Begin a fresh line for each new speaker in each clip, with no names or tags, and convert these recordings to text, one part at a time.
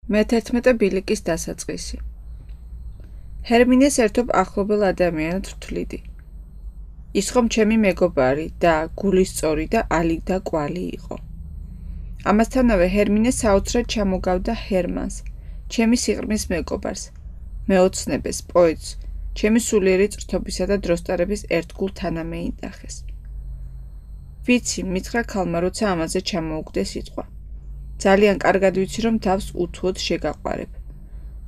მე-11 ბილიკის დასაწყისი. ჰერმინეს ერთობ ახლობელ ადამიანად ვთვლიდი. ის ხომ ჩემი მეგობარი და გულისწორი და ალი და კვალი იყო. ამასთანავე ჰერმინე საოცრად ჩამოგავდა ჰერმანს, ჩემი სიყრმის მეგობარს, მეოცნებეს, პოეტს, ჩემი სულიერი წრთობისა და დროსტარების ერთგულ თანამეინდახეს. ვიცი, მითხრა ქალმა, როცა ამაზე ჩამოუგდე სიტყვა. ძალიან კარგად ვიცი, რომ თავს უთუოდ შეგაყვარებ.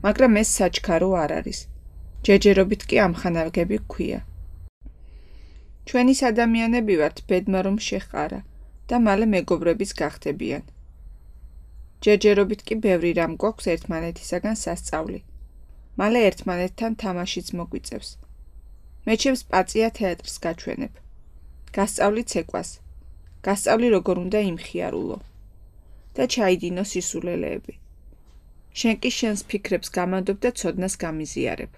მაგრამ ეს საჩქარო არ არის. ჯერჯერობით კი ამხანაგები გვქვია. ჩვენი ადამიანები ვართ, ბედმა რომ შეჰყარა და მალე მეგობრებიც გახდებიან. ჯერჯერობით კი ბევრი რამ გვაქვს ერთმანეთისაგან სასწავლი. მალე ერთმანეთთან თამაშიც მოგვიწევს. მე ჩემს პაწია თეატრს გაჩვენებ. გასწავლი ცეკვას. გასწავლი როგორ უნდა იმხიარულო. და ჩაიდინო სისულელეები. შენ კი შენს ფიქრებს გამანდობ და ცოდნას გამიზიარებ.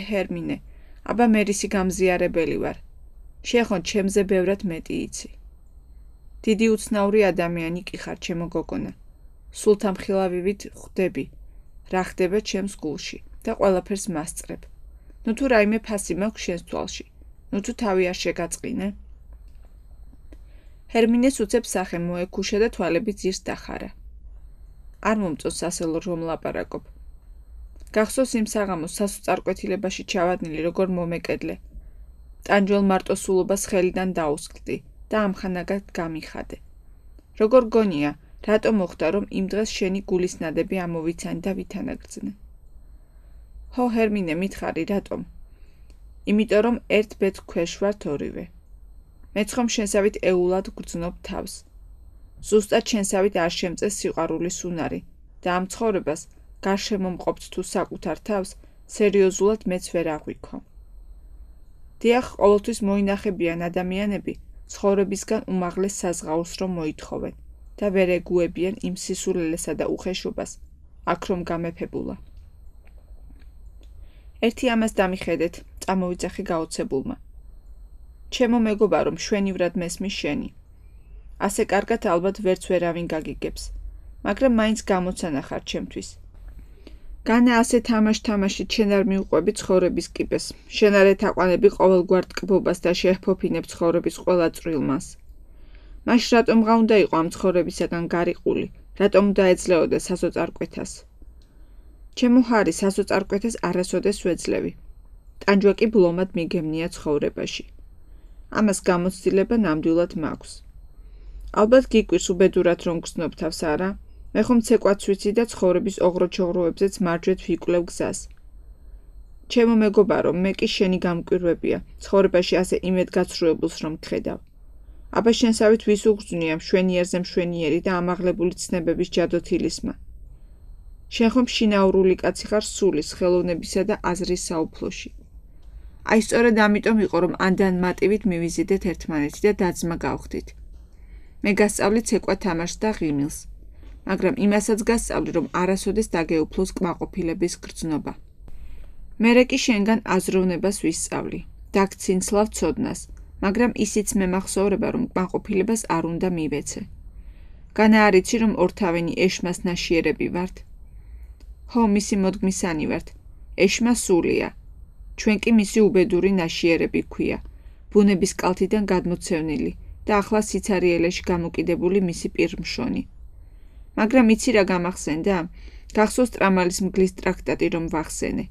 ჰერმინე, აბა მერისი გამზიარებელი ვარ. შეხონ ჩემზე ბევრად მეტი იცი. დიდი უცნაური ადამიანი კი ხარ, ჩემო გოგონა. სულ თამხილავივით ხვდები, რა ხდება ჩემს გულში და ყველაფერს მასწრებ. ნუ თუ რაიმე ფასი მაქვს შენს თვალში, ნუ თუ თავი არ შეგაწყინე. ჰერმინეს უცებ სახე მოეკუშა და თვალები ძირს დახარა. არ მომწონს ასეულ რომ ლაპარაკობ. გახსოვს იმ საღამოს სასოწარკვეთილებაში ჩავადნილი როგორ მომეკედლე. ტანჯვალ მარტოსულობას ხელიდან დაუსკლდი და ამხანაგად გამიხადე. როგორ გონია, რატო მოხდა რომ იმ დღეს შენი გულის ნადები ამოვიცანი და ვითანაგრძნე. ჰო ჰერმინე, მითხარი რატომ? იმიტომ რომ ერთ ბედს ქვეშ ვართ ორივე. მეც ხომ შენსავით ეულად გრძნობ თავს. ზუსტად შენსავით არ შემწეს სიყვარულის უნარი და ამ ცხოვრებას გარშემო მყოფთ თუ საკუთარ თავს, სერიოზულად მეც ვერ აღვიქო. დიახ, ყოველთვის მოინახებიან ადამიანები ცხოვრებისგან უმაღლეს საზღაურს რომ მოითხოვენ და ვერ ეგუებიან იმ სისულელესა და უხეშობას, აქ რომ გამეფებულა. ერთი ამას დამიხედეთ, წამოვიძახი გაოცებულმა. ჩემო მეგობარო, მშვენივრად მესმის შენი. ასე კარგად ალბათ ვერც ვერავინ გაგიგებს, მაგრამ მაინც გამოცანა ხარ ჩემთვის. განა ასე თამაშით შენ არ მიუყვები ცხოვრების კიბეს, შენ არ ეთაყვანები ყოველგვარ ტკბობას და შეჰფოფინებ ცხოვრების ყველა წვრილმას. მაშ რატომღა უნდა იყო ამ ცხოვრებისაგან გარიყული, რატომ უნდა ეძლეოდე სასოწარკვეთას? ჩემო ჰარი, სასოწარკვეთას არასოდეს ვეძლევი. ტანჯვა კი ბლომად მიგემნია ცხოვრებაში. ამას გამოცდილება ნამდვილად მაქვს. ალბათ გიკვირს უბედურად რომ გრძნობ თავს, არა? მე ხომ ცეკვაც ვიცი და ცხოვრების ოღროჩოღროებზეც მარჯვეთ ვიკვლევ გზას. ჩემო მეგობარო, მე კი შენი გამკვირვებია, ცხოვრებაში ასე იმედგაცრუებულს რომ გხედავ. აბა შენსავით ვის უგრძნია მშვენიერზე მშვენიერი და ამაღლებული ცნებების ჯადოთილისმა. შენ ხომ შინაურული კაცი ხარ სულის, ხელოვნებისა და აზრის საუფლოში. აი სწორედ ამიტომ იყო რომ ანდან მატივით მივიზიდეთ ერთმანეთი და დაძმა გავხდით. მე გასწავლი ცეკვა თამაშს და ღიმილს, მაგრამ იმასაც გასწავლი რომ არასოდეს დაგეუფლოს კმაყოფილების გრძნობა. მერე კი შენგან აზროვნებას ვისწავლი, დაგცინცლავ ცოდნას, მაგრამ ისიც მემახსოვრება რომ კმაყოფილებას არ უნდა მივეცე. განა არ იცი რომ ორთავენი ეშმას ნაშიერები ვართ? ჰო, მისი მოდგმისანი ვართ, ეშმა სულია. ჩვენ კი მისი უბედური ნაშიერები გვქვია, ბუნების კალთიდან გადმოცევნილი და ახლა სიცარიელეში გამოკიდებული მისი პირმშონი. მაგრამ იცი რა გამახსენდა? გახსოვს ტრამალის მგლის ტრაქტატი რომ ვახსენე.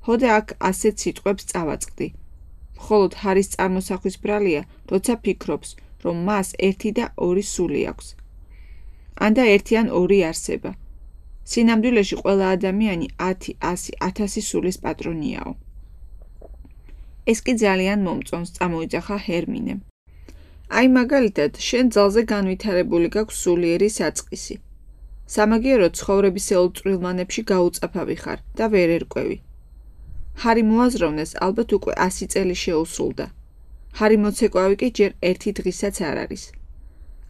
ჰოდე აქ ასეთ სიტყვებს წავაწყდი. მხოლოდ ჰარის წარმოსახვის ბრალია, როცა ფიქრობს, რომ მას 1 და 2 სული აქვს. ანდა 1 ან 2 არსება. სინამდვილეში ყველა ადამიანი 10, 100, 1000 სულის პატრონიაო. ეს კი ძალიან მომწონს, წამოიძახა ჰერმინემ. აი მაგალითად, შენ ძალზე განვითარებული გაქვს სულიერი საწყისი. სამაგიეროდ ცხოვრებისეულ წვრილმანებში გაუწაფავი ხარ და ვერ ერკვევი. ჰარი მოაზროვნეს ალბათ უკვე 100 წელი შეუსრულდა. ჰარი მოცეკვავი კი ჯერ 1 დღისაც არ არის.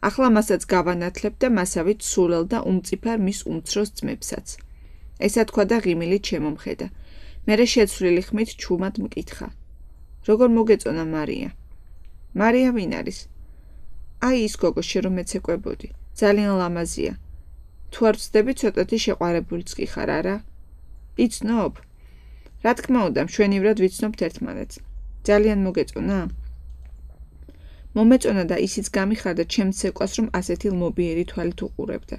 ახლა მასაც გავანათლებ და მასავით სულელ და უმწიფარ მის უმცროს ძმებსაც. ესა თქვა და ღიმილი ჩემომხედა. მერე შეცვლილი ხმით ჩუმად მკითხა. როგორ მოგეწონა მარია? მარია ვინ არის? აი ის გოგო შე რომ ეცეკვებოდი. ძალიან ლამაზია. თუ არ ვცდები, ცოტათი შეყვარებულიც კი ხარ, არა? იცნობ? რა თქმა უნდა, მშვენივრად ვიცნობთ ერთმანეთს. ძალიან მოგეწონა? მომეწონა და ისიც გამიხარდა ჩემს ცეკვას, რომ ასეთი ლმობიერი თვალით უყურებდა.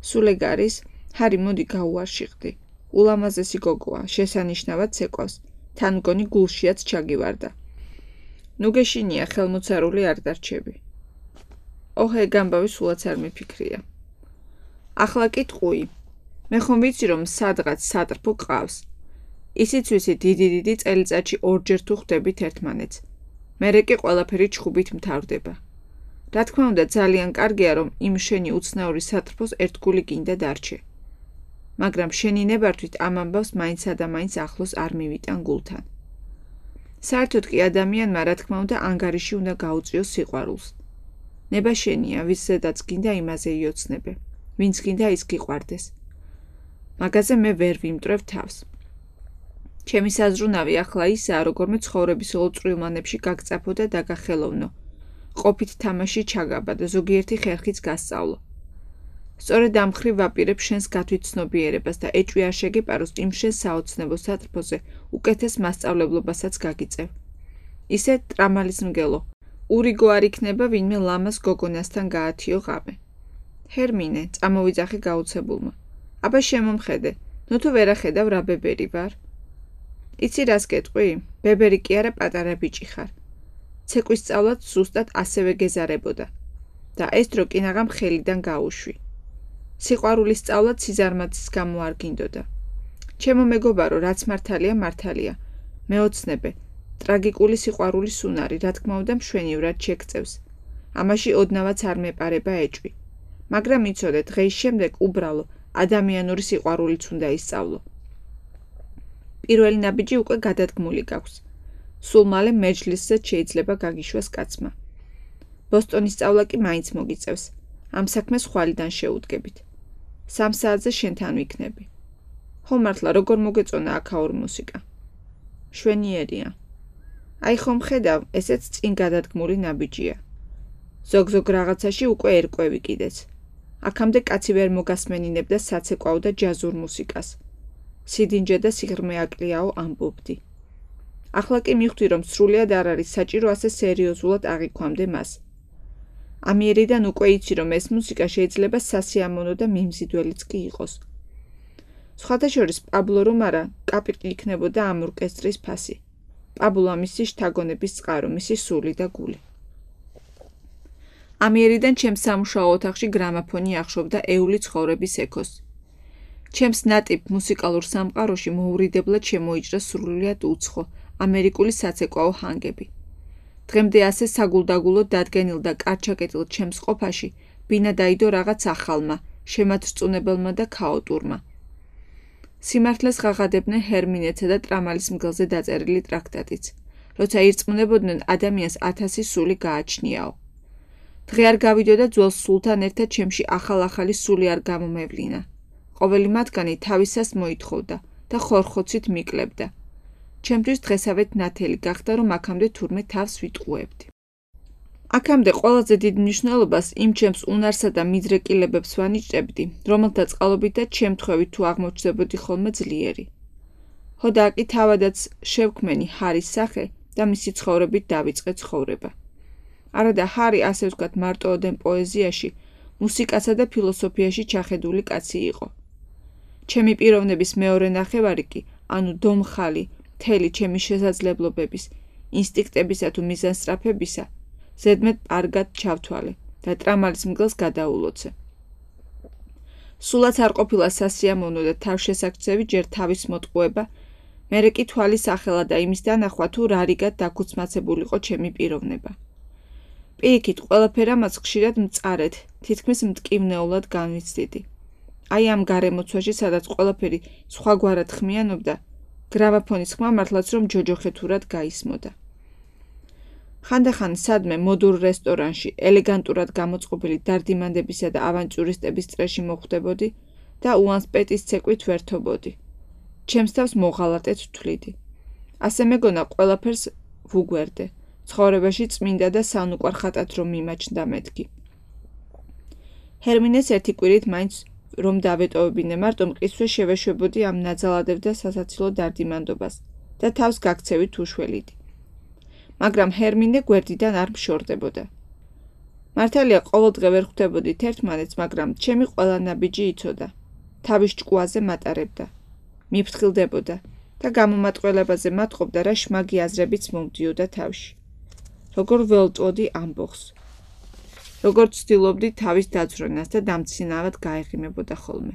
სულ ეგ არის? ჰარი, მოდი გაუარშიყდი. ულამაზესი გოგოა, შესანიშნავად ცეკვავს. თან მგონი გულშიაც ჩაგივარდა. ნუ გეშინია, ხელმოცარული არ დარჩები. ოჰ, ეგ ამბავი სულაც არ მიფიქრია. ახლა კიტყვი. მე ხომ ვიცი, რომ სადღაც სატრფო გყავს. ისიც ვიცი, დიდი წელიწადში ორჯერ თუ ხვდებით ერთმანეთს. მერე კი ყველაფერი ჩხუბით მთავრდება. რა თქმა უნდა, ძალიან კარგია, რომ იმ შენი უცნაური სატრფოს ერთგული გინდა დარჩე. მაგრამ შენი ნებართვით ამ ამბავს მაინცსა და მაინც ახლოს არ მივიტან გულთან. საერთოდ კი ადამიანმა, რა თქმა უნდა, ანგარიში უნდა გაუწიოს სიყვარულს. ნება შენია, ვის ზედაც გინდა იმაზე იოცნებე, ვინც გინდა ის გიყვარდეს. მაგაზე მე ვერ ვიმტრევ თავს. ჩემი საზრუნავი ახლა ისაა, როგორმე ცხოვრებისეულ წვრილმანებში გაგწაფო და დაგახელოვნო. ყოფით თამაში ჩაგაბა და ზოგიერთი ხერხიც გასწავლო. სწორედ ამ ხრივ ვაპირებ შენს გათვითცნობიერებას და ეჭვი არ შეგეპაროს იმ შენს საოცნებო სატრფოზე უკეთეს მასწავლებლობასაც გაგიწევ. ისე ტრამალის მგელო. ურიგო არ იქნება ვინმე ლამას გოგონასთან გაათიო ღამე. ჰერმინე, წამოვიძახე გაუცებულმა. აბა შემომხედე, ნუ თუ ვერ ახედავ რა ბებერი ვარ. იცი რას გეტყვი? ბებერი კი არა, პატარა ბიჭი ხარ. ცეკვის სწავლაც ზუსტად ასევე გეზარებოდა და ეს დრო კინაღამ ხელიდან გაუშვი. სიყვარულის სწავლაც სიზარმაცის გამო არ გინდოდა. ჩემო მეგობარო, რაც მართალია, მართალია. მეოცნებე, ტრაგიკული სიყვარულის უნარი, რა თქმა უნდა, მშვენივრად შეგწევს. ამაში ოდნავაც არ მეპარება ეჭვი. მაგრამ იცოდე, დღეის შემდეგ უბრალო ადამიანური სიყვარულიც უნდა ისწავლო. პირველი ნაბიჯი უკვე გადადგმული გაქვს. სულ მალე მეჯლისზე შეიძლება გაგიშვას კაცმა. ბოსტონის სწავლა კი მაინც მოგიწევს. ამ საქმეს ხვალიდან შეუდგებით. 3 საათზე შენთან ვიქნები. ხო მართლა, როგორ მოგეწონა აქაურ მუსიკა. შვენიერია. აი ხომ ხედავ, ესეც წინ გადადგმული ნაბიჯია. ზოგ რაღაცაში უკვე ერკვევი კიდეც. აქამდე კაცი ვერ მოგასმენინებდა საცეკვაო და ჯაზურ მუსიკას. სიდინჯე და სიღრმე აკლიაო ამბობდი. ახლა კი მივხვდი, რომ სრულიად არ არის საჭირო ასე სერიოზულად აღიქვამდე მას. ამიერიდან უკვე იცი, რომ ეს მუსიკა შეიძლება სასიამოვნო და მიმზიდველიც კი იყოს. სხვათა შორის პაბლო რომ არა, კაპიტი იქნებოდა ამ ორკესტრის ფასი. პაბლოა მისი შთაგონების წყარო, მისი სული და გული. ამიერიდან ჩემს სამუშაო ოთახში გრამაფონი ახშობდა ეული ცხოვრების ექოს. ჩემს ნატიფ მუსიკალურ სამყაროში მოურიდებლად შემოიჭრა სრულიად უცხო ამერიკული საცეკვაო ჰანგები. დღემდე ასე საგულდაგულოდ დადგენილ და კარჩაკეტილ ჩემს ყოფაში ბინა დაიდო რაღაც ახალმა, შემათრწუნებელმა და ქაოტურმა. სიმართლეს ღაღადებდნენ ჰერმინეცა და ტრამალის მგელზე დაწერილი ტრაქტატიც, როცა ირწმუნებოდნენ ადამიანს 1000 სული გააჩნიაო. დღე არ გავიდოდა ძველ სულთან ერთად ჩემში ახალი სული არ გამომევლინა. ყოველი მათგანი თავისას მოითხოვდა და ხორხოცით მიკლებდა. ჩემთვის დღესავეთ ნათელი გახდა, რომ აქამდე თურმე თავს ვიტყუებდი. აქამდე ყველაზე დიდ მნიშვნელობას იმ ჩემს უნარსა და მიდრეკილებებს ვანიჭებდი, რომელთა წყალობითაც შემთხვევით თუ აღმოჩნდებოდი ხოლმე ძლიერი. ხო და აკი თავადაც შევქმენი ჰარის სახე და მისი ცხოვრებით დავიწყე ცხოვრება. არა და ჰარი, ასე ვთქვათ, მარტოოდენ პოეზიაში, მუსიკასა და ფილოსოფიაში ჩახედული კაცი იყო. ჩემი პიროვნების მეორე ნახევარი კი, ანუ დომხალი, მთელი ჩემი შესაძლებლობების, ინსტინქტებისა თუ მიზანსწრაფებისა, ზედმეტ პარგად ჩავთვალე და ტრამალის მგელს გადაულოცე. სულაც არ ყოფილა სასიამოვნო და თავშესაქცევი ჯერ თავის მოტყუება, მერე კი თვალის ახლა და იმის დანახვა თუ რა რიგად დაქუცმაცებულიყო ჩემი პიროვნება. პირიქით, ყველაფერ ამას ხშირად მწარედ, თითქმის მტკივნეულად განვიცდიდი. აი ამ გარემოცვაში, სადაც ყველაფერი სხვაგვარად ხმიანობდა, გრამაფონის ხმა მართლაც რომ ჯოჯოხეთურად გაისმოდა. ხანდახან სადმე მოდურ რესტორანში ელეგანტურად გამოწყობილი დარდიმანდებისა და ავანტიურისტების წრეში მოხვდებოდი და უანს პეტის ცეკვით ვერთობოდი. ჩემს თავს მოღალატედ ვთვლიდი. ასე მეგონა ყველაფერს ვუგვერდე. ცხოვრებაში წმინდა და სანუკვარ ხატად რომ მიმაჩნდა მეთქი. ჰერმინეს ერთი კვირით მაინც რომ დავეტოვებინე მარტო მყისვე შევეშვებოდი ამ ნაძალადებ და სასაცილო დარდიმანდობას და თავს გაქცევით უშველიდი. მაგრამ ჰერმინე გვერდიდან არ მშორდებოდა. მართალია ყოველდღე ვერ ხვდებოდით ერთმანეთს, მაგრამ ჩემი ყველა ნაბიჯი იცოდა. თავის ჭკუაზე მატარებდა. მიფრთხილდებოდა და გამომატყველებაზე მატყობდა რა შმაგი აზრებიც მომდიოდა თავში. როგორ ველტვოდი ამბოხს. როგორც ვცდილობდი თავის დაცვრენას და დამცინავად გაეღიმებოდა ხოლმე.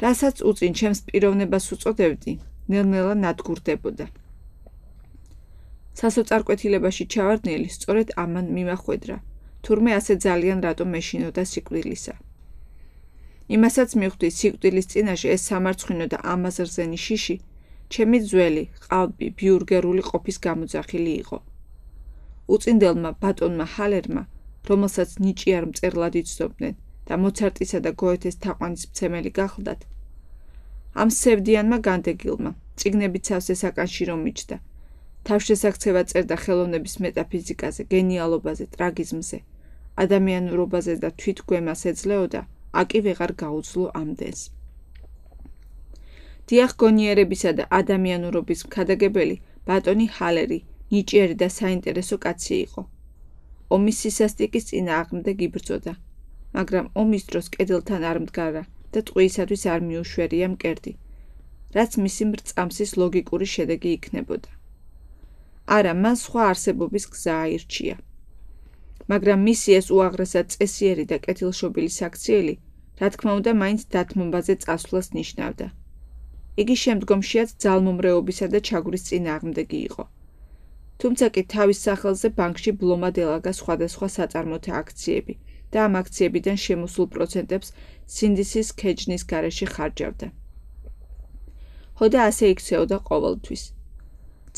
რასაც უწინ ჩემს პიროვნებას უწოდებდი, ნელ-ნელა ნადგურდებოდა. სასოწარკვეთილებაში ჩავარდნილი სწორედ ამან მიმახვედრა, თურმე ასე ძალიან რატომ მეშინოდა სიკვდილისა. იმასაც მივხვდი სიკვდილის წინაშე ეს სამარცხვინო და ამაზრზენი შიში, ჩემი ძველი, ყალბი, ბიურგერული ყოფის გამოძახილი იყო. უწინდელმა ბატონმა ჰალერმა, რომელსაც ნიჭიარ მწერლად იცნობდნენ და მოცარტისა და გოეთეს თაყვანის მცემელი გახლდათ, ამ სევდიანმა განდეგილმა, წიგნებით სავსე საკანში რომ მიჩნდა, თავშესაქცევად წერდა ხელოვნების მეტაფიზიკაზე, გენიალობაზე, ტრაგიზმზე, ადამიანურობაზე და თვითგვემას ეძლეოდა, აკი ვეღარ გაუძლო ამდენს. დიახ, გონიერებისა და ადამიანურობის მქადაგებელი ბატონი ჰალერი, ნიჭიერი და საინტერესო კაცი იყო. ომის სისასტიკის წინააღმდეგ იბრძოდა, მაგრამ ომის დროს კედელთან არ მდგარა და ტყვიისათვის არ მიუშვერია მკერდი, რაც მისი მრწამსის ლოგიკური შედეგი იქნებოდა. არა, მან სხვა არსებობის გზა აირჩია. მაგრამ მისი ეს უაღრესად წესიერი და კეთილშობილი საქციელი, რა თქმა უნდა, მაინც დათმობაზე წასვლას ნიშნავდა. იგი შემდგომშიაც ძალმომრეობისა და ჩაგვრის წინააღმდეგი იყო. თუმცა კი თავის სახელზე ბანკში ბლომად ელაგა სხვადასხვა საწარმოთა აქციები და ამ აქციებიდან შემოსულ პროცენტებს სინდისის ქეჯნის გარეშე ხარჯავდა. ჰოდა ასე იქცეოდა ყოველთვის.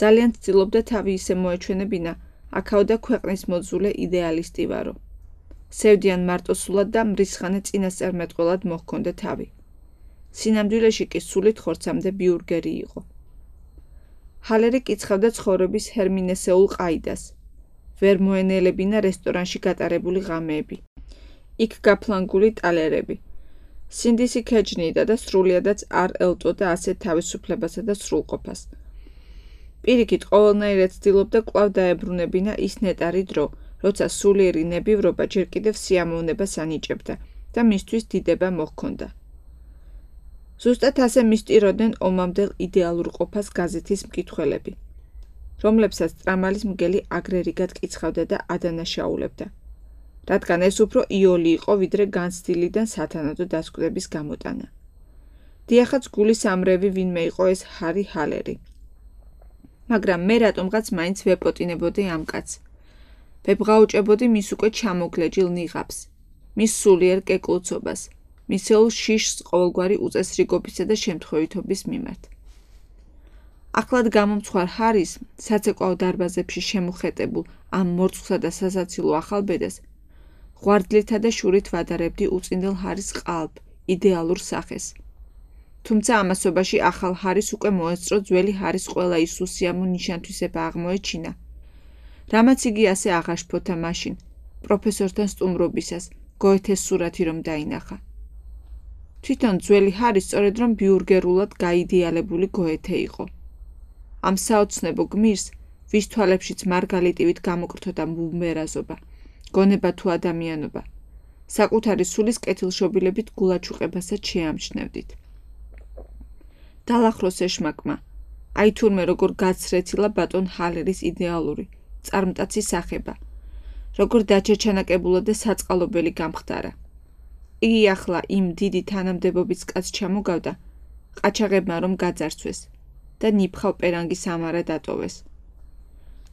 ძალიან ცდილობდა თავი ისე მოეჩვენებინა, აქაოდა ქვეყნის მოძულე იდეალისტი ვარო. სევდიან მარტოსულად და მრისხანე წინასწარმეტყველად მოჰქონდა თავი. სინამდვილეში კი სულით ხორცამდე ბიურგერი იყო. ჰალერი კიცხავდა ცხოვრების ჰერმინესეულ ყაიდას. ვერ მოენელებინა რესტორანში გატარებული ღამეები. იქ გაფლანგული ტალერები. სინდისი ქეჯნიდა და სრულიადაც არ ელტოდა ასეთ თავისუფლებასა და სრულყოფას. პირიქით, ყოველნაირად ცდილობდა კვლავ დაებრუნებინა ის ნეტარი დრო, როცა სულიერი ნებივრობა ჯერ კიდევ სიამოვნებას ანიჭებდა და მისთვის დიდება მოჰქონდა. ზუსტად ასე მისტიროდნენ ომამდელ ideალურ ყოფას გაზეთის მკითხველები, რომლებსაც ტრამალის მგელი აგრერიგად კიცხავდა და ადანაშაულებდა, რადგან ეს უფრო იოლი იყო, ვიდრე განცდილიდან სათანადო დასკვდების გამოტანა. დიახაც გულის ამრევი ვინმე იყო ეს ჰარი ჰალერი. მაგრამ მე რატომღაც მაინც ვეპოტინებოდი ამ კაცს. ვებღაუჭებოდი მის უკვე ჩამოგლეჯილ ნიღაბს, მის სულიერ კეკლუცობას, მისეულ შიშს ყოველგვარი უწესრიგობისა და შემთხვევითობის მიმართ. ახლად გამომცხვარ ჰარის, საცეკვაო დარბაზებში შემუხეტებულ ამ მორწყვსა და სასაცილო ახალბედას, ღვარდლითა და შურით ვადარებდი უწინდელ ჰარის ყალბ, იდეალურ სახეს. თუმცა ამასობაში ახალ ჰარის უკვე მოესწრო ძველი ჰარის ყველა ის უსიამო ნიშანთვისება აღმოეჩინა, რამაც იგი ასე აღაშფოთა მაშინ, პროფესორთან სტუმრობისას, გოეთეს სურათი რომ დაინახა. თვითონ ძველი ჰარი სწორედ რომ ბიურგერულად გაიდეალებული გოეთე იყო. ამ საოცნებო გმირს, ვის თვალებშიც მარგალიტივით გამოკრთოდა მუმერაზობა, გონება თუ ადამიანობა, საკუთარი სულის კეთილშობილებით გულაჩუყებასაც შეამჩნევდით. დალახროს ეშმაკმა, აი თურმე როგორ გაცრეცილა ბატონ ჰალერის იდეალური, წარმტაცი სახება, როგორ დაჩეჩანაკებულა და საწყალობელი გამხდარა. იგი ახლა იმ დიდი თანამდებობის კაცს ჩამოგავდა, ყაჩაღებმა რომ გაძარცვეს და ნიფხავ პერანგის ამარა დატოვეს.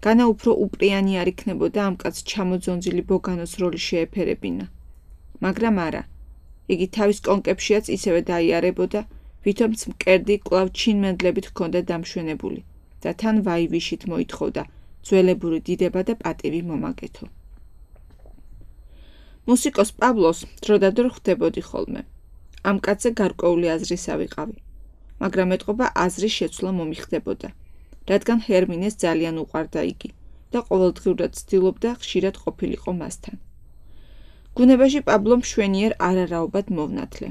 განა უფრო უპრიანი არ იქნებოდა ამ კაცს ჩამოძონძილი ბოგანოს როლი შეეფერებინა. მაგრამ არა, იგი თავის კონკებშიაც ისევე დაიარებოდა, ვითომც მკერდი კვლავ ჩინმენდლებით ჰქონდა დამშვენებული და თან ვაივიშით მოითხოვდა ძველებური დიდება და პატივი მომაგეთო. მუსიკოს პაბლოს დროდადრო ხვდებოდი ხოლმე. ამ კაცზე გარკვეული აზრისა ვიყავი, მაგრამ ეტყობა აზრის შეცვლა მომიხდებოდა, რადგან ჰერმინეს ძალიან უყვარდა იგი და ყოველდღიურად ცდილობდა ხშირად ყოფილიყო მასთან. ბუნებაში პაბლო მშვენიერ არარაობად მოვნათლე.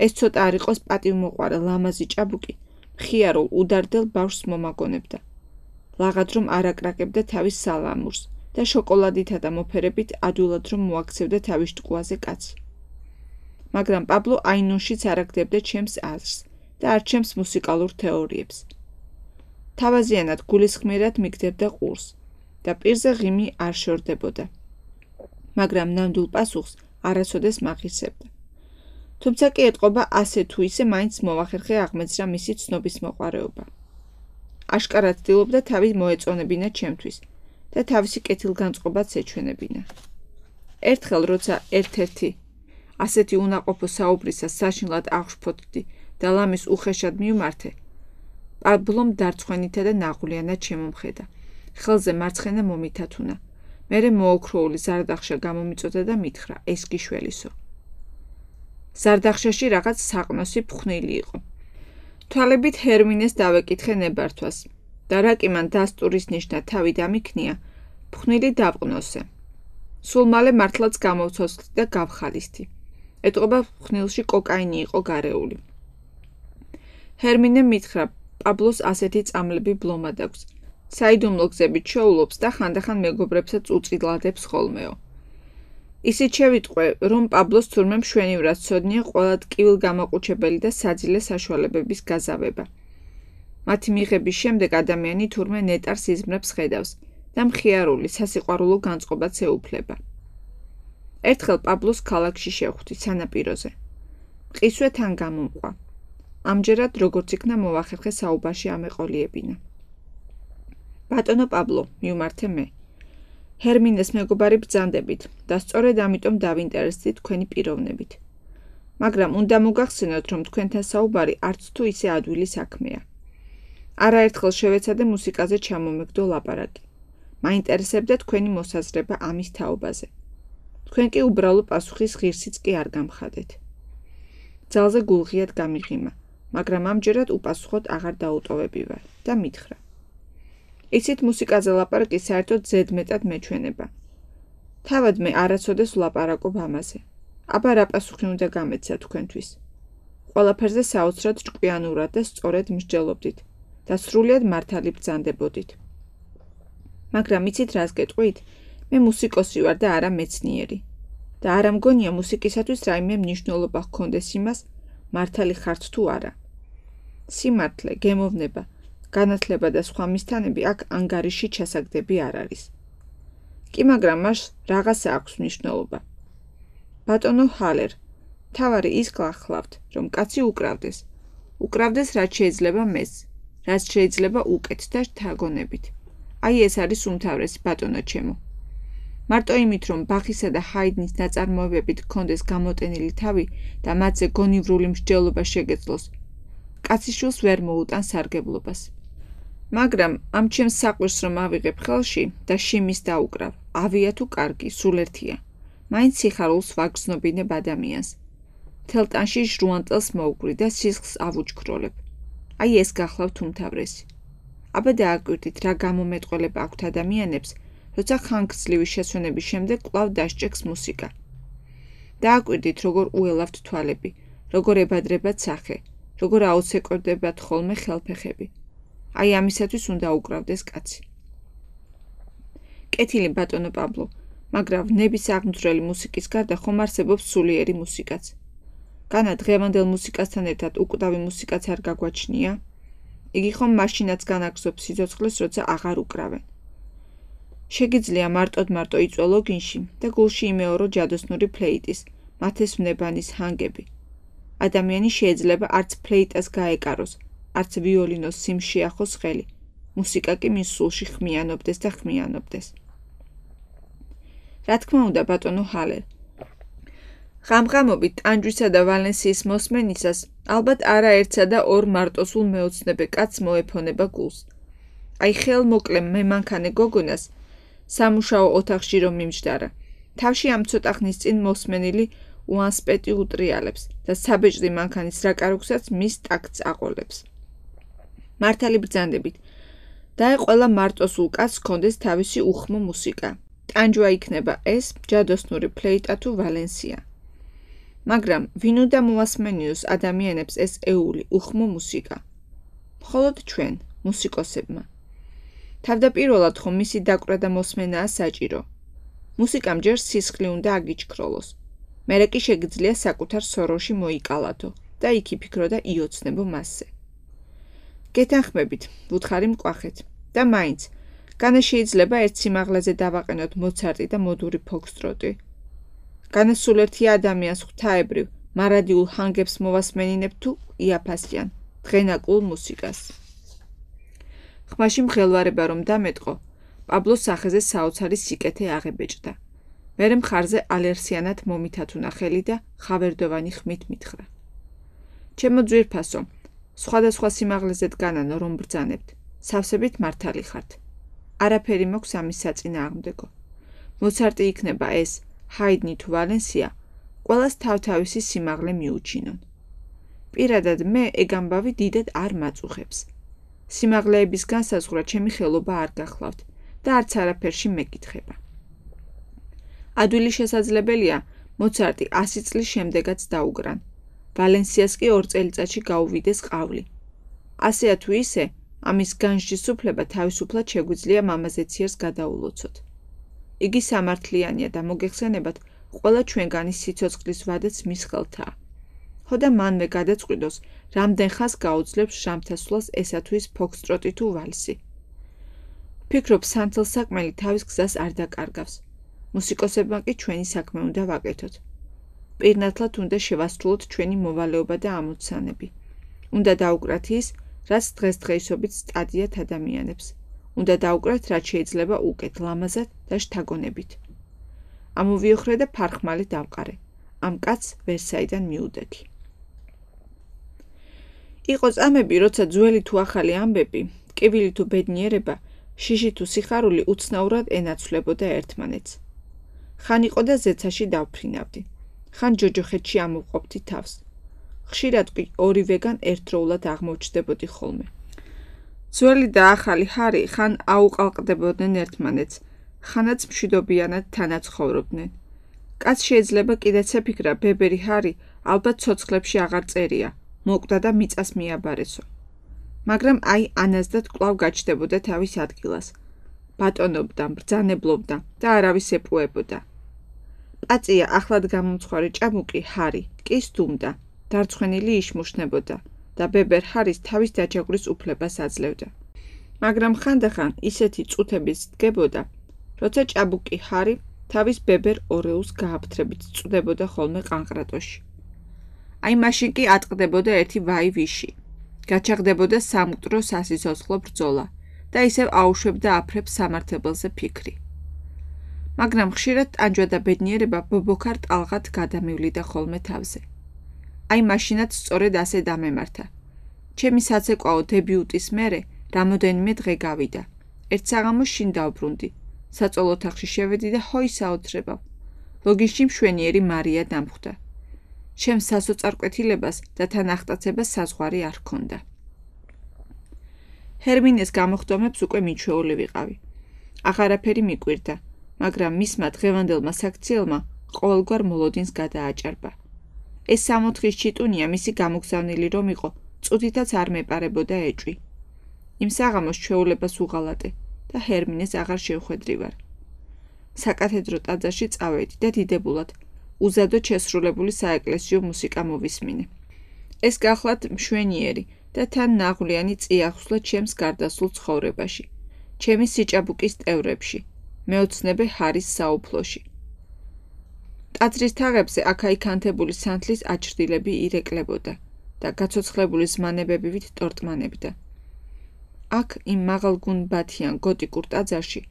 ეს ცოტა არ იყოს პატივმოყვარე ლამაზი ჭაბუკი, მხიარულ უდარდელ ბავშვს მომაგონებდა. ლაღად რომ არ აკრაკებდა თავის სალამურს და შოკოლადითა და მოფერებით ადვილად რომ მოაქცევდა თავის შტყუაზე კაცი. მაგრამ პაბლო აინონშიც არ აგდებდა ჩემს აზრს და არ ჩემს მუსიკალურ თეორიებს. თავაზიანად გულისხმიერად მიგდებდა ყურს და პირზე ღიმი არ შორდებოდა. მაგრამ ნამდვილ პასუხს არასოდეს მახისებდა. თუმცა კი ეტყობა ასე თუ ისე მაინც მოვახერხე აღმეძრა მისი ცნობის მოყვარეობა. აშკარად ცდილობდა თავი მოეწონებინა ჩემთვის და თავისი კეთილგანწყობაც ეჩვენებინა. ერთხელ როცა ერთ-ერთი ასეთი უნაყოფო საუბრისას საშინლად აღშფოთდი და ლამის უხეშად მივმართე, პაბლომ დარცხვენითა და ნაღვლიანად შემომხედა. ხელზე მარცხენა მომითათუნა. მერე მოოქროული ზარდახშა გამომიწოდა და მითხრა, ეს კი შველისო. ზარდახშაში რაღაც საყნოსი ფხვნილი იყო. თვალებით ჰერმინეს დავეკითხე ნებართვას და რა კი მან დასტურის ნიშნა თავი დამიქნია, ფხვნილი დავყნოსე. სულ მალე მართლაც გამოვცოცხლდი და გავხალისდი. ეტყობა ფხვნილში კოკაინი იყო გარეული. ჰერმინემ მითხრა, პაბლოს ასეთი წამლები ბლომად აქვს. საიდუმლო გზებით შოულობს და ხანდახან მეგობრებსაც უწილადებს ხოლმეო. ისიც შევიტყვე, რომ პაბლოს თურმე მშვენივრად ცოდნია ყველა ტკივილ გამაყუჩებელი და საძილე საშუალებების გაზავება. მათი მიღების შემდეგ ადამიანი თურმე ნეტარს იზმრებს ხედავს და მხიარული სასიყვარულო განწყობაც ეუფლება. ერთხელ პაბლოს ქალაქში შევხვდი სანაპიროზე. მყისვე თან გამომყვა. ამჯერად როგორც იქნა მოვახერხე საუბარში ამეყოლიებინა. ბატონო პაბლო, მივმართე მე. ჰერმინეს მეგობარი ბრძანდებით და სწორედ ამიტომ დავინტერესდი თქვენი პიროვნებით. მაგრამ უნდა მოგახსენოთ, რომ თქვენთან საუბარი არც თუ ისე ადვილი საქმეა. არაერთხელ შევეცადე მუსიკაზე ჩამომეგდო ლაპარაკი. მაინტერესებდა თქვენი მოსაზრება ამის თაობაზე. თქვენ კი უბრალო პასუხის ღირსიც კი არ გამხადეთ. ძალზე გულღიად გამიღიმა, მაგრამ ამჯერად უპასუხოდ აღარ დაუტოვებივარ და მითხრა. იცით მუსიკაზე ლაპარაკი საერთოდ ზედმეტად მეჩვენება. თავად მე არასოდეს ვლაპარაკობ ამაზე. აბა რა პასუხი უნდა გამეცა თქვენთვის. ყველაფერზე საოცრად ჭკვიანურად და სწორედ მსჯელობდით და სრულიად მართალი ბრძანდებოდით. მაგრამ იცით რას გეტყვით? მე მუსიკოსი ვარ და არა მეცნიერი. და არა მგონია მუსიკისათვის რაიმე მნიშვნელობა ჰქონდეს იმას, მართალი ხართ თუ არა. სიმართლე, გემოვნება, განათლება და სხვა მისთანები აქ ანგარიში ჩასაგდები არ არის. კი მაგრამ მას რაღაცა აქვს მნიშვნელობა. ბატონო ჰალერ, თავარი ის გახლავთ, რომ კაცი უკრავდეს. უკრავდეს რაც შეიძლება მეს, რაც შეიძლება უკეთ და შთაგონებით. აი ეს არის უმთავრესი ბატონო ჩემო. მარტო იმით, რომ ბახისა და ჰაიდნის ნაწარმოებებით გქონდეს გამოტენილი თავი და მათზე გონივრული მსჯელობა შეგეძლოს, კაცი შულს ვერ მოუტან სარგებლობას. მაგრამ ამ ჩემს საყვირს რომ ავიღებ ხელში და შიმის დაუკრავ, ავია თუ კარგი, სულ ერთია. მაინც სიხარულს ვაგრძნობინებ ადამიანს. მთელ ტანში ჟრუანტელს მოვგვრი და სისხლს ავუჩქროლებ. აი ეს გახლავთ უმთავრესი. აბა დააკვირდით რა გამომეტყველება აქვთ ადამიანებს, როცა ხანგრძლივი შესვენების შემდეგ კვლავ დასჭექს მუსიკა. დააკვირდით როგორ უელავთ თვალები, როგორ ებადრებათ სახე, როგორ აოცეკვებდებათ ხოლმე ხელფეხები. აი ამისათვის უნდა უკრავდეს კაცი. კეთილი ბატონო პაბლო, მაგრამ ნების აღმძვრელი მუსიკის გარდა ხომ არსებობს სულიერი მუსიკაც. განა დღევანდელ მუსიკასთან ერთად უკვდავი მუსიკაც არ გაგვაჩნია? იგი ხომ მაშინაც განაგზობს სიცოცხლეს, როცა აღარ უკრავენ. შეგიძლია მარტო იწვე ლოგინში და გულში იმეორო ჯადოსნური ფლეიტის, მათეს ვნებანის ჰანგები. ადამიანი შეიძლება არც ფლეიტას გაეკაროს, არც ვიოლინოს სიმს შეახოს ხელი. მუსიკა კი მის სულში ხმიანობდეს და ხმიანობდეს. რა თქმა უნდა ბატონო ჰალერ. ღამღამობით ტანჯვისა და ვალენსიის მოსმენისას ალბათ არაერთსა და ორ მარტოსულ მეოცნებე კაცს მოეფონება გულს. აი ხელმოკლე მემანქანე გოგონას სამუშაო ოთახში რომ მიმჯდარა. თავში ამ ცოტა ხნის წინ მოსმენილი უანსპეტი უტრიალებს და საბეჭდი მანქანის რაკაროქსაც მის ტაქტს აყოლებს. მართალი ბრძანდებით, დაე ყველა მარტოსულ კაცს ჰქონდეს თავისი უხმო მუსიკა ტანჯვა იქნება ეს ჯადოსნური ფლეიტა თუ ვალენსია. მაგრამ ვინ უნდა მოასმენიოს ადამიანებს ეს ეული უხმო მუსიკა? მხოლოდ ჩვენ, მუსიკოსებმა. თავდაპირველად ხომ მისი დაკვრა და მოსმენაა საჭირო. მუსიკამ ჯერ სისხლი უნდა აგიჩქროლოს. მერე კი შეგიძლია საკუთარ სოროში მოიკალათო და იქ იფიქრო და იოცნებო მასზე. გეთანხმებით, ვუთხარი მკვახეთ და მაინც, განა შეიძლება ერთ სიმაღლეზე დავაყენოთ მოცარტი და მოდური ფოქსტროტი? განა სულ ერთი ადამიანს ღვთაებრივ, მარადიულ ჰანგებს მოვასმენინებ თუ იაფასიან, დღენაკულ მუსიკას. ხმაში მღელვარება რომ დამეტყო, პაბლოს სახეზე საოცარი სიკეთე აღებეჭდა. მერე მხარზე ალერსიანად მომითათუნა ხელი და ხავერდოვანი ხმით მითხრა. ჩემო ძვირფასო, სხვადასხვა სიმაღლეზე დგანანო რომ ბრძანებთ, სავსებით მართალი ხართ. არაფერი მოქვს ამის საწინააღმდეგო. მოცარტი იქნება ეს, ჰაიდნი თუ ვალენსია, ყველას თავთავისი სიმაღლე მიუჩინონ. პირადად მე ეგ ამბავი დიდად არ მაწუხებს. სიმაღლეების განსაზღვრა ჩემი ხელობა არ გახლავთ და არც არაფერში მეკითხება. ადვილი შესაძლებელია, მოცარტი 100 წლის შემდეგაც დაუგრან. ვალენსიას კი 2 წელიწადში გაუვიდეს ყავლი. ასეა თუ ისე, ამის განსჯისუფლება თავისუფლად შეგვიძლია მამაზეციერს გადაულოცოთ. იგი სამართლიანია და მოგეხსენებათ, ყველა ჩვენგანის სიცოცხლის ვადაც მის ხელთაა. ხო და მანვე გადაწყვიტოს, რამდენ ხანს გაუძლებს ჟამთასვლას ესა თუ ის ფოქსტროტი თუ ვალსი. ფიქრობ, სანთელსაკმელი თავის გზას არ დაკარგავს. მუსიკოსებმა კი ჩვენი საქმე უნდა ვაკეთოთ. პირნათლად უნდა შევასრულოთ ჩვენი მოვალეობა და ამოცანები. უნდა დაუკრათ ის, რაც დღესდღეობით სტადიათ ადამიანებს. უნდა დაუკრათ, რაც შეიძლება უკეთ, ლამაზად და შთაგონებით. ამოვიოხრე და ფარხმალი დავყარე. ამ კაცს ვერსაიდან მიუდექი. იყო წამები, როცა ძველი თუ ახალი ამბები, ტკივილი თუ ბედნიერება, შიში თუ სიხარული უცნაურად ენაცვლებოდა ერთმანეთს. ხან იყო და ზეცაში დავფრინავდი. ხან ჯოჯოხეთში ამოვყოფდი თავს. ხშირად კი ორივეგან ერთდროულად აღმოჩნდებოდი ხოლმე. ძველი და ახალი ჰარი ხან აუყალყდებოდნენ ერთმანეთს, ხანაც მშვიდობიანად თანაცხოვრობდნენ. კაც შეიძლება კიდეც ეფიქრა, ბებერი ჰარი ალბათ ცოცხლებში აღარ წერია, მოკვდა და მიწას მიაბარესო. მაგრამ აი ანაზდად კვლავ გაჩნდებოდა თავის ადგილას. ბატონობდა, ბრძანებლობდა და არავის ეპუებოდა. პაწია ახლად გამომცხვარი ჭაბუკი ჰარი კი სდუმდა, დარცხვენილი იშმუშნებოდა და ბებერ ჰარის თავის დაჯაგვრის უფლებას აძლევდა. მაგრამ ხანდახან ისეთი წუთებიც დგებოდა, როცა ჭაბუკი ჰარი თავის ბებერ ორეულს გააფთრებით წვდებოდა ხოლმე ყანყრატოში. აი მაშინ კი ატყდებოდა ერთი ვაი ვიში. გაჩაღდებოდა სამკვდრო სასიცოცხლო ბრძოლა და ისევ აუშვებდა აფრებს სამართებელზე ფიქრი. მაგრამ ხშირად ტანჯვა და ბედნიერება ბობოქარ ტალღად გადამივლიდა ხოლმე თავზე. აი მაშინაც სწორედ ასე დამემართა. ჩემი საცეკვაო დებიუტის მერე რამოდენიმე დღე გავიდა. ერთ საღამოს შინ დავბრუნდი. საწოლ ოთახში შევედი და ჰოი საოცრებავ. ლოგინში მშვენიერი მარია დამხვდა. ჩემს სასოწარკვეთილებას და თან ახტაცებას საზღვარი არ ჰქონდა. ჰერმინეს გამოხდომებს უკვე მიჩვეული ვიყავი. აღარაფერი მიკვირდა, მაგრამ მისმა დღევანდელმა საქციელმა ყოველგვარ მოლოდინს გადააჭარბა. ეს 64 ჩიტუნია მისი გამოგზავნილი რომ იყო, წუთითაც არ მეპარებოდა ეჭვი. იმ საღამოს ჩვეულებას უღალატე და ჰერმინეს აღარ შევხვედრივარ. საკათედრო ტაძარში წავედი და დიდებულად უზადოდ შესრულებული საეკლესიო მუსიკა მოვისმინე. ეს გახლავთ მშვენიერი და თან ნაღვლიანი წიაღსვლა ჩემს გარდასულ ცხოვრებაში, ჩემი სიჭაბუკის ტევრებში, მეოცნებე ჰარის საუფლოში. ტაძრის თაღებზე აქა-იქ ანთებული სანთლის აჭრდილები ირეკლებოდა და გაცოცხლებული ზმანებებივით ტორტმანებდა. აქ იმ მაღალგუნბათიან გოტიკურ ტაძარში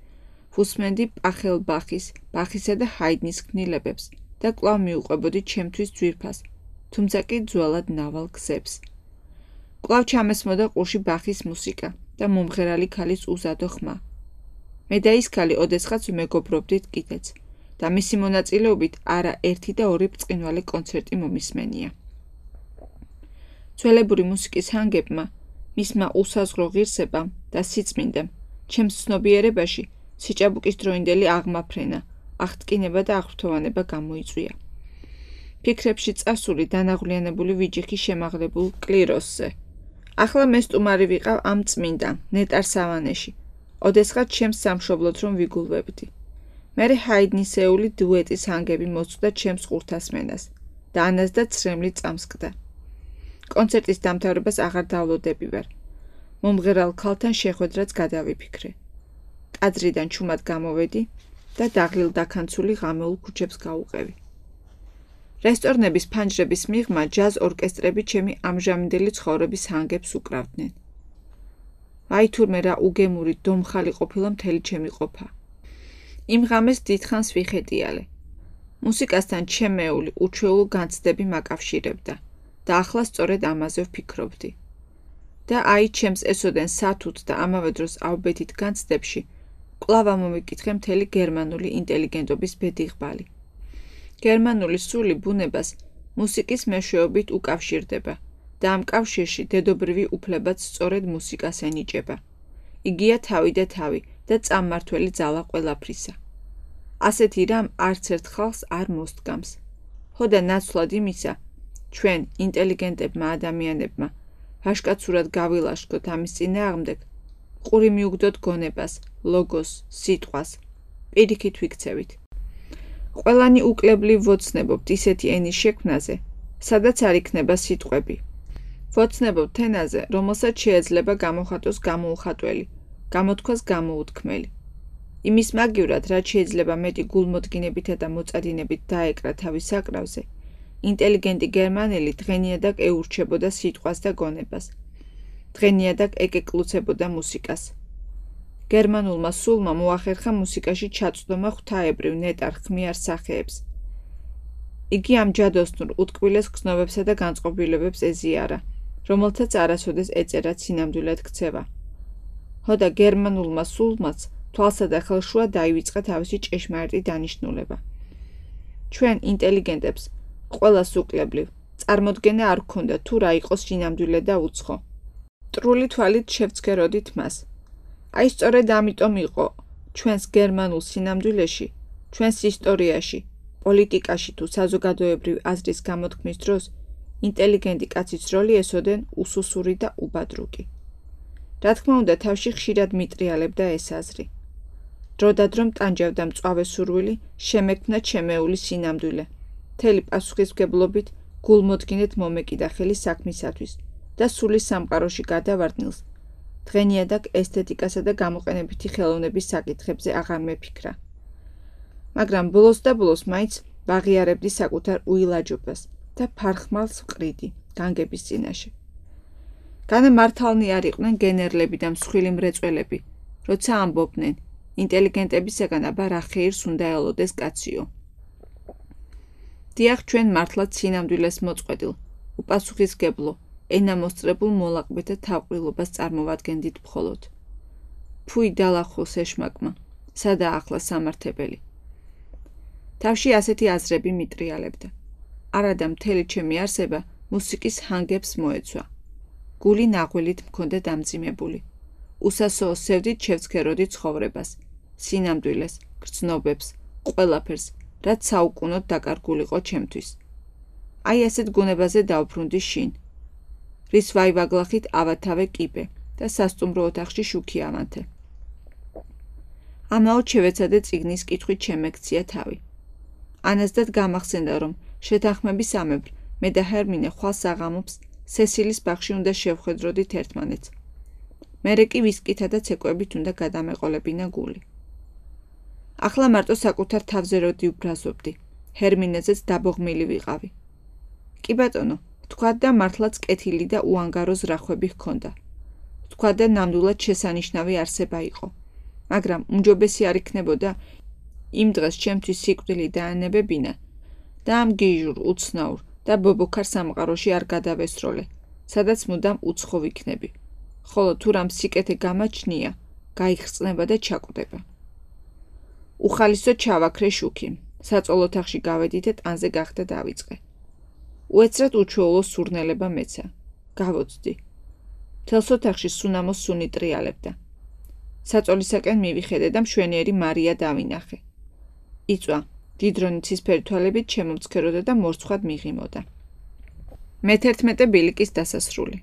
ვუსმენდი პახელბახის, ბახისა და ჰაიდნის ქმნილებებს და კვლავ მიუყვებოდი ჩემთვის ძვირფას, თუმცა კი ძველად ნავალ გზებს. კვლავ ჩამესმოდა ყურში ბახის მუსიკა და მომღერალი ქალის უზადო ხმა. მე და ის ქალი ოდესღაც მეგობრობდით კიდეც და მისი მონაწილეობით არა ერთი და ორი ბრწყინვალე კონცერტი მომისმენია. ძველებური მუსიკის ჰანგებმა, მისმა უსაზღრო ღირსებამ და სიწმინდემ, ჩემს ცნობიერებაში სიჭაბუკის დროინდელი აღმაფრენა, აღტკინება და აღფრთოვანება გამოიწვია. ფიქრებში წასული დანაღვლიანებული ვიჯიხი შემაღლებულ კლიროსზე. ახლა მე სტუმარი ვიყავ ამ წმინდა, ნეტარ სავანეში. ოდესღაც ჩემს სამშობლოდ რომ ვიგულვებდი. მერე ჰაიდნისეული დუეტის ჰანგები მოწვდა ჩემს ყურთასმენას და ანას და ცრემლი წამსკდა. კონცერტის დამთავრებას აღარ დავლოდები ვარ. მომღერალ ქალთან შეხვედრაც გადავიფიქრე. ტაძრიდან ჩუმად გამოვედი და დაღლილ დაქანცული ღამეულ ქუჩებს გავუყევი. რესტორნების ფანჯრების მიღმა ჯაზ ორკესტრები ჩემი ამჟამინდელი ცხოვრების ჰანგებს უკრავდნენ. აი თურმე რა უგემური დომხალი ყოფილა მთელი ჩემი ყოფა. იმ ღამეს დიდხანს ვიხეტიალე. მუსიკასთან ჩემეული უჩვეულო განცდები მაკავშირებდა და ახლა სწორედ ამაზე ვფიქრობდი. და აი ჩემს ესოდენ სათუთ და ამავე დროს ავბეთით განცდებში კვლავ ამომიკითხე მთელი გერმანული ინტელიგენტობის ბედიღბალი. გერმანული სული ბუნებას მუსიკის მეშვეობით უკავშირდება და ამ კავშირში დედობრივი უფლებაც სწორედ მუსიკას ენიჭება. იგია თავი და თავი და წამმართველი ძალა ყველაფრისა. ასეთი რამ არც ერთ ხალხს არ მოსდგამს. ხო და ნაცვლად იმისა, ჩვენ ინტელიგენტებმა ადამიანებმა ვაშკაცურად გავილაშქროთ ამის წინააღმდეგ, ყური მიუგდოთ გონებას, ლოგოს, სიტყვას, პირიქით ვიქცევით. ყველანი უკლებლივ ვოცნებობთ ისეთი ენის შექმნაზე, სადაც არ იქნება სიტყვები. ვოცნებობთ ენაზე, რომელსაც შეიძლება გამოხატოს გამოუხატველი, გამოთქვას გამოუთქმელი. იმის მაგივრად, რაც შეიძლება მეტი გულმოდგინებითა და მოწადინებით დაეკრა თავის საკრავზე, ინტელიგენტი გერმანელი დღენიადაკ ეურჩებოდა სიტყვას და გონებას. დღენიადაკ ეკეკლუცებოდა მუსიკას. გერმანულმა სულმა მოახერხა მუსიკაში ჩაწვდომა ღვთაებრივ ნეტარ ხმიარ სახეებს. იგი ამ ჯადოსნურ უტკბილეს გრძნობებსა და განწყობილებებს ეზიარა, რომელთაც არასოდეს ეწერა სინამდვილედ ქცევა. ხო და გერმანულმა სულმაც თვალსა და ხელშუა დაივიწყა თავისი ჭეშმარიტი დანიშნულება. ჩვენ ინტელიგენტებს ყველას უკლებლივ წარმოდგენა არ გქონდა თუ რა იყოს სინამდვილე და უცხო. მტრული თვალით შევცქეროდით მას. აი სწორედ ამიტომ იყო ჩვენს გერმანულ სინამდვილეში, ჩვენს ისტორიაში, პოლიტიკაში თუ საზოგადოებრივ აზრის გამოთქმის დროს ინტელიგენტი კაცის როლი ესოდენ უსუსური და უბადრუკი. რა თქმა უნდა, თავში ხშირად მიტრიალებდა ეს აზრი. დროდადრო მტანჯავდა მწვავე სურვილი შემექმნა ჩემეული სინამდვილე. მთელი პასუხისმგებლობით გულმოდგინედ მომეკიდა ხელი საქმისათვის და სულის სამყაროში გადავარდნილს დღენიადაკ ესთეტიკასა და გამოყენებითი ხელოვნების საკითხებზე აღარ მეფიქრა. მაგრამ ბოლოს და ბოლოს მაინც ვაღიარებდი საკუთარ უილაჯობას და ფარხმალს ვყრიდი განგების წინაშე. განამართალნი არ იყვნენ გენერლები და მსხვილი მრეწველები, როცა ამბობდნენ ინტელიგენტებისაგან აბა რა ხეირს უნდა ელოდეს კაციო. დიახ, ჩვენ მართლაც სინამდვილეს მოწყვეტილ, უპასუხისმგებლო, ენამოსწრებულ მოლაყბეთა თავყრილობას წარმოვადგენდით მხოლოდ. ფუი დალახოს ეშმაკმა, სადაა ახლა სამართებელი. თავში ასეთი აზრები მიტრიალებდა. არადა მთელი ჩემი არსება მუსიკის ჰანგებს მოეცვა. გული ნაღველით მქონდა დამძიმებული. უსასოო სევდით შევცქეროდი ცხოვრებას, სინამდვილეს, გრძნობებს, ყველაფერს, რაც საუკუნოდ დაკარგულიყო ჩემთვის. აი ასეთ გონებაზე დავბრუნდი შინ. რის ვაივაგლახით ავათავე კიბე და სასტუმრო ოთახში შუქი ავანთე. ამაოდ შევეცადე წიგნის კითხვით შემექცია თავი. ანასდად გამახსენდა, რომ შეთანხმებისამებრ მე და ჰერმინე ხვალ საღამობს სესილის ბაღში უნდა შევხვედროდით ერთმანეთს. მერე კი ვისკითა და ცეკვებით უნდა გადამეყოლებინა გული. ახლა მარტო საკუთარ თავზე როდი ვბრაზობდი, ჰერმინეზეც დაბოღმილი ვიყავი. კი ბატონო, თქვა და მართლაც კეთილი და უანგარო ზრახვები ჰქონდა. თქვა და ნამდვილად შესანიშნავი არსება იყო. მაგრამ უმჯობესი არ იქნებოდა იმ დღეს ჩემთვის სიკვდილი დაანებებინა და ამ გიჟურ, უცნაურ და ბობოქარ სამყაროში არ გადავესროლე, სადაც მუდამ უცხო ვიქნები. ხოლო თუ რამ სიკეთე გამაჩნია, გაიხსნება და ჩაკვდება. უხალისო ჩავაქრე შუქი, საწოლ ოთახში გავედი და ტანზე გახდა დავიწყე. უეცრად უჩვეულო სურნელება მეცა. გავოცდი. მთელს ოთახში სუნამო სუნი ტრიალებდა. საწოლისაკენ მივიხედე და მშვენიერი მარია დავინახე. იწვა, დიდრონი ცისფერი თვალებით შემომცქეროდა და მორცხვად მიღიმოდა. მე-11 ბილიკის დასასრული.